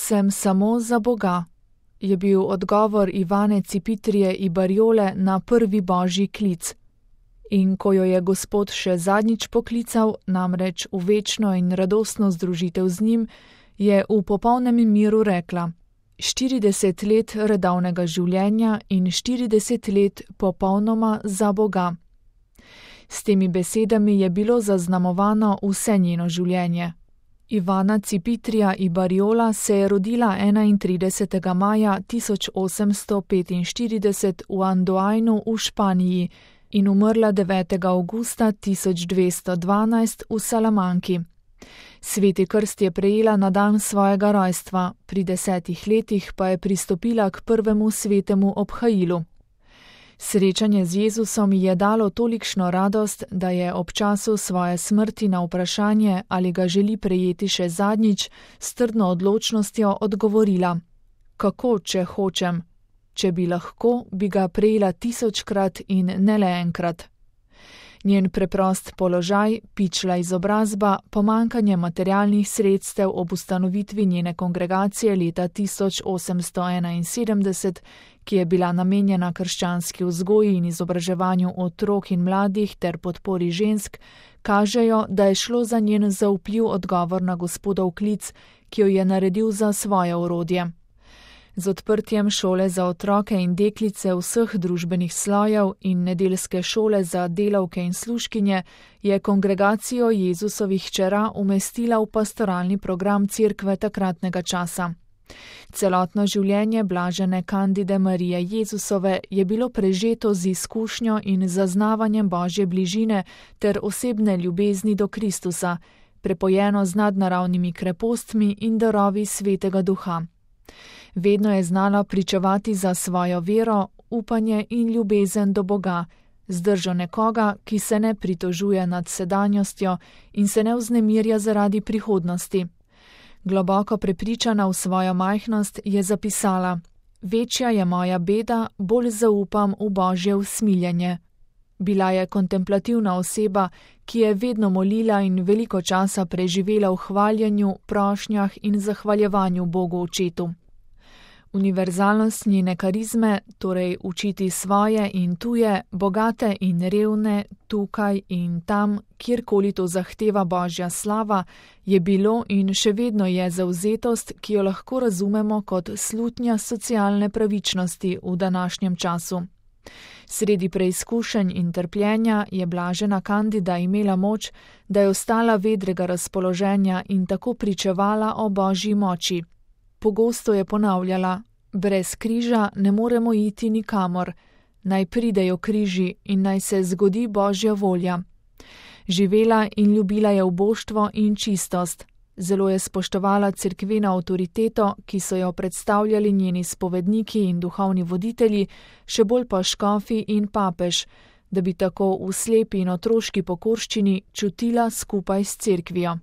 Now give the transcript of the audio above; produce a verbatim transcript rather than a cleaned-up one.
sem samo za Boga, je bil odgovor Ivane Cipitrije i Bariole na prvi božji klic. In ko jo je Gospod še zadnjič poklical, namreč v večno in radostno združitev z njim, je v popolnem miru rekla: štirideset let redovnega življenja in štirideset let popolnoma za Boga. S temi besedami je bilo zaznamovano vse njeno življenje. Ivana Cipitrija i Bariola se je rodila enaintridesetega maja tisoč osemsto petinštirideset v Andoajnu v Španiji in umrla devetega avgusta tisoč dvesto dvanajst v Salamanki. Sveti krst je prejela na dan svojega rojstva, pri desetih letih pa je pristopila k prvemu svetemu obhajilu. Srečanje z Jezusom ji je dalo tolikšno radost, da je ob času svoje smrti na vprašanje, ali ga želi prejeti še zadnjič, s trdno odločnostjo odgovorila: kako, če hočem? Če bi lahko, bi ga prejela tisočkrat in ne le enkrat. Njen preprost položaj, pičla izobrazba, pomankanje materialnih sredstev ob ustanovitvi njene kongregacije leta tisoč osemsto enainsedemdeset, ki je bila namenjena krščanski vzgoji in izobraževanju otrok in mladih ter podpori žensk, kažejo, da je šlo za njen zaupljiv odgovor na Gospodov klic, ki jo je naredil za svoje orodje. Z odprtjem šole za otroke in deklice vseh družbenih slojev in nedeljske šole za delavke in služkinje je kongregacijo Jezusovih hčera umestila v pastoralni program cerkve takratnega časa. Celotno življenje blažene Kandide Marije Jezusove je bilo prežeto z izkušnjo in zaznavanjem Božje bližine ter osebne ljubezni do Kristusa, prepojeno z nadnaravnimi krepostmi in darovi Svetega Duha. Vedno je znala pričevati za svojo vero, upanje in ljubezen do Boga, z držo nekoga, ki se ne pritožuje nad sedanjostjo in se ne vznemirja zaradi prihodnosti. Globoko prepričana v svojo majhnost je zapisala: večja je moja beda, bolj zaupam v Božje usmiljenje. Bila je kontemplativna oseba, ki je vedno molila in veliko časa preživela v hvaljenju, prošnjah in zahvaljevanju Bogu Očetu. Univerzalnost njene karizme, torej učiti svoje in tuje, bogate in revne, tukaj in tam, kjerkoli to zahteva Božja slava, je bilo in še vedno je zavzetost, ki jo lahko razumemo kot slutnja socialne pravičnosti v današnjem času. Sredi preizkušenj in trpljenja je blažena Kandida imela moč, da je ostala vedrega razpoloženja in tako pričevala o Božji moči. Pogosto je ponavljala: brez križa ne moremo iti nikamor, naj pridejo križi in naj se zgodi Božja volja. Živela in ljubila je uboštvo in čistost. Zelo je spoštovala cerkveno avtoriteto, ki so jo predstavljali njeni spovedniki in duhovni voditelji, še bolj pa škofi in papež, da bi tako v slepi in otroški pokorščini čutila skupaj s cerkvijo.